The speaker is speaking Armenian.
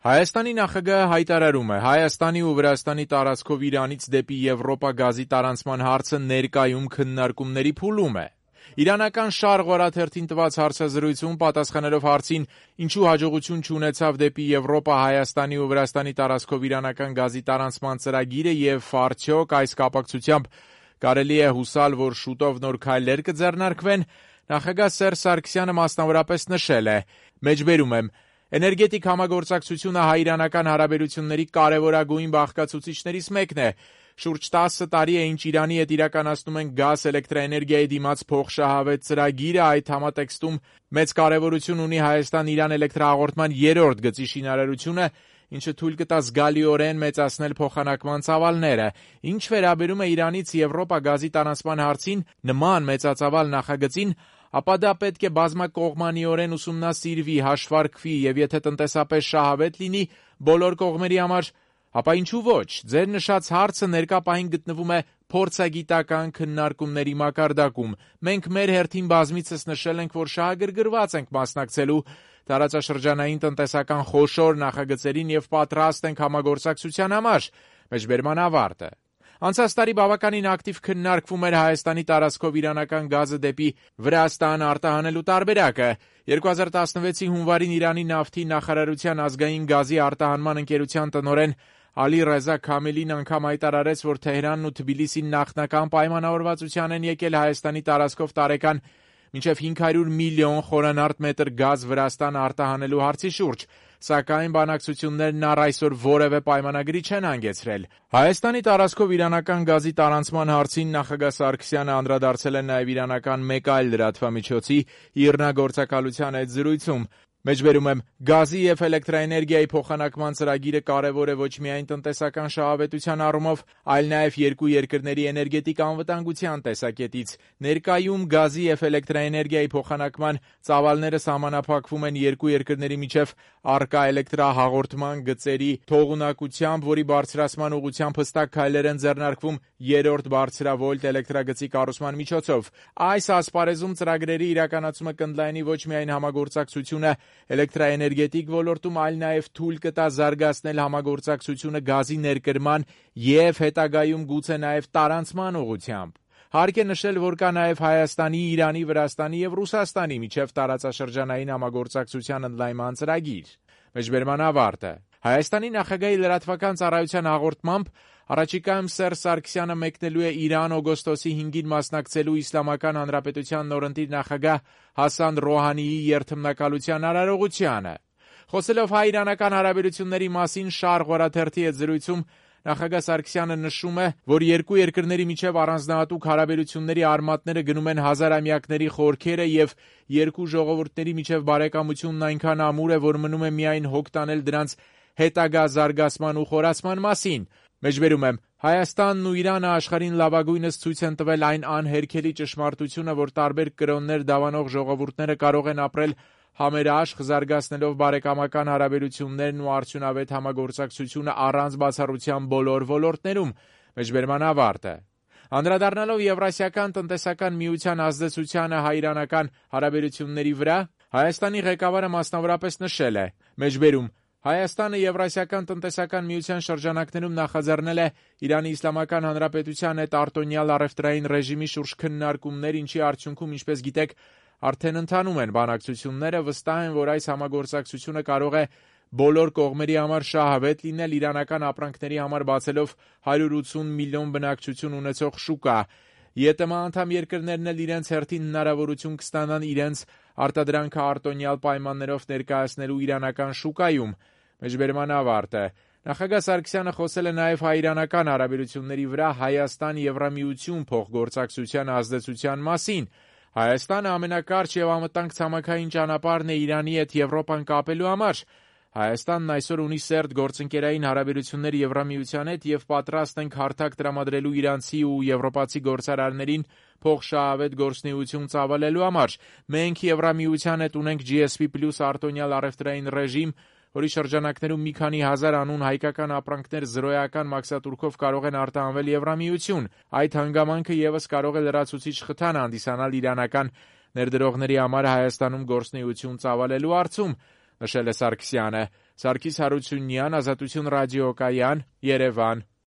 Հայաստանի նախագահը հայտարարում է. Հայաստանի ու Վրաստանի տարածքով Իրանից դեպի Եվրոպա գազի տարանցման հարցը ներկայում քննարկումների փուլում է։ Իրանական Շարղ օրաթերթին տված հարցազրույցում պատասխանելով հարցին ինչու հաջողություն չունեցավ դեպի Եվրոպա Հայաստանի ու Վրաստանի տարածքով իրանական գազի տարանցման ծրագիրը եւ արդյոք այս կապակցությամբ կարելի է հուսալ, որ շուտով նոր քայլեր կձեռնարկվեն, նախագահ Սերժ Սարգսյանը մասնավորապես նշել է. Մեջբերում եմ. Էներգետիկ համագործակցությունը հայ-իրանական հարաբերությունների կարևորագույն բաղկացուցիչներից մեկն է։ Շուրջ 10 տարի է, ինչ Իրանի հետ իրականացնում են գազ էլեկտրաէներգիայի դիմաց փոխշահավետ ծրագիրը, այդ համատեքստում մեծ կարևորություն ունի Հայաստան-Իրան էլեկտրահաղորդման 3-րդ գծի շինարարությունը, ինչը թույլ կտա զգալիորեն մեծացնել փոխանակման ծավալները։ Ինչ վերաբերում է Իրանից Եվրոպա գազի տարանցման հարցին, նման մեծածավալ նախագծին, ապա դա պետք է բազմակողմանիորեն ուսումնասիրվի, հաշվարկվի եւ եթե տնտեսապես շահավետ լինի բոլոր կողմերի համար, ապա ինչու ոչ։ Ձեր նշած հարցը ներկա պահին գտնվում է փորձագիտական քննարկումների մակարդակում։ Մենք մեր հերթին բազմիցս նշել ենք, որ շահագրգռված ենք մասնակցելու տարածաշրջանային տնտեսական խոշոր նախագծերին եւ պատրաստ ենք համագործակցության համար։ Մեջբերման ավարտը։ Անցած տարի բավականին ակտիվ քննարկվում էր Հայաստանի տարածքով իրանական գազը դեպի Վրաստան արտահանելու տարբերակը։ 2016-ի հունվարին Իրանի նավթի նախարարության ազգային գազի արտահանման ընկերության տնօրեն Ալի Ռեզա Քամելին անգամ հայտարարեց, որ Թեհրանն ու Թբիլիսին նախնական պայմանավորվածության են եկել Հայաստանի տարածքով տարեկան մինչև 500 միլիոն խորանարդ մետր գազ Վրաստան արտահանելու հարցի շուրջ, սակայն բանակցություններն առ այսօր որևէ պայմանագրի չեն հանգեցրել։ Հայաստանի տարածքով իրանական գազի տարանցման հարցին նախագահ Սարգսյանը անդրադարձել է նաև իրանական մեկ այլ լրատվամիջոցի իրնագործակալության այդ զրույցում։ Մեջբերում եմ, գազի եւ էլեկտրաէներգիայի փոխանակման ծրագիրը կարևոր է ոչ միայն տնտեսական շահավետության առումով, այլ նաեւ երկու երկրների էներգետիկ անվտանգության տեսակետից։ Ներկայում գազի եւ էլեկտրաէներգիայի փոխանակման ծավալները սահմանափակվում են երկու երկրների միջև առկա էլեկտրահաղորդման գծերի թողունակությամբ, որի բարձրացման ուղղությամբ հստակ քայլեր են ձեռնարկվում 3-րդ բարձրավոլտ էլեկտրագծի կառուցման միջոցով։ Այս ասպարեզում ծրագրերի իրականացումը կընդլայնի ոչ միայն համագործակցությունը էլեկտրաէներգետիկ ոլորտում, այլ նաև թույլ կտա զարգացնել համագործակցությունը գազի ներկրման եւ հետագայում գուցե նաև տարանցման ուղղությամբ։ Հարկ է նշել, որ կա նաև Հայաստանի, Իրանի, Վրաստանի եւ Ռուսաստանի միջև տարածաշրջանային համագործակցության ընդլայնման ծրագիր։ Մեջբերման ավարտը։ Հայաստանի նախագահի լրատվական ծառայության հաղորդմամբ առաջիկայում Սերժ Սարգսյանը մեկնելու է Իրան օգոստոսի 5-ին մասնակցելու Իսլամական Հանրապետության նորընտիր նախագահ Հասան Ռոհանիի երթմնակալության արարողությանը։ Խոսելով հայ-իրանական հարաբերությունների մասին Շարղ օրաթերթի հետ զրույցում նախագահ Սարգսյանը նշում է, որ երկու երկրների միջև առանձնահատուկ հարաբերությունների արմատները գնում են հազարամյակների խորքերը եւ երկու ժողովուրդների միջև բարեկամությունն այնքան ամուր է, որ մնում է միայն հոգ տանել դրանց հետագա զարգացման ու խորացման մասին։ Մեջբերում եմ, Հայաստանն ու Իրանը աշխարհին լավագույնս ցույց են տվել այն անհերքելի ճշմարտությունը, որ տարբեր կրոններ դավանող ժողովուրդները կարող են ապրել համերաշխ, զարգացնելով բարեկամական հարաբերություններն ու արդյունավետ համագործակցությունը առանց բացառության բոլոր ոլորտներում։ Մեջբերման ավարտը։ Անդրադառնալով Եվրասիական տնտեսական միության ազդեցությանը հայ-իրանական հարաբերությունների վրա, Հայաստանի ղեկավարը մասնավորապես նշել է. Մեջբերում Հայաստանը Եվրասիական տնտեսական միության շրջանակներում նախաձեռնել է Իրանի Իսլամական Հանրապետության հետ արտոնյալ առևտրային ռեժիմի շուրջ քննարկումներ, ինչի արդյունքում, ինչպես գիտեք, արդեն ընթանում են բանակցությունները, վստահ են, որ այս համագործակցությունը կարող է բոլոր կողմերի համար շահավետ լինել, իրանական ապրանքների համար բացելով 180 միլիոն բնակչություն ունեցող շուկա։ ԵՏՄ անդամ երկրներն էլ իրենց հերթին հնարավորություն կստանան իրենց արտադրանքը արտոնյալ պայմաններով ներկայացնելու իրանական շուկայում։ Մեջբերման ավարտը։ Նախագահ Սարգսյանը խոսել է նաև հայ-իրանական հարաբերությունների վրա Հայաստան-Եվրամիություն փոխգործակցության ազդեցության մասին։ Հայաստանը ամենակարճ եւ անվտանգ ցամաքային ճանապարհն է Իրանի հետ Եվրոպան կապելու համար։ Հայաստանն այսօր ունի սերտ գործընկերային հարաբերություններ Եվրամիության հետ եւ պատրաստ ենք հարթակ տրամադրելու իրանցի ու եվրոպացի գործարարներին փոխշահավետ գործունեություն ծավալելու համար։ Մենք Եվրամիության հետ ունենք GSP+ արտոնյալ առևտրային ռեժիմ, որի շրջանակներում մի քանի հազար անուն հայկական ապրանքներ զրոյական մաքսատուրքով կարող են արտահանվել Եվրամիություն։ Այդ հանգամանքը եւս կարող է լրացուցիչ խթան հանդիսանալ իրանական ներդրողների համար Հայաստանում գործունեություն ծավալելու հարցում, նշել է Սարգսյանը։ Սարգիս Հարությունյան, Ազատություն ռադիոկայան, Երևան։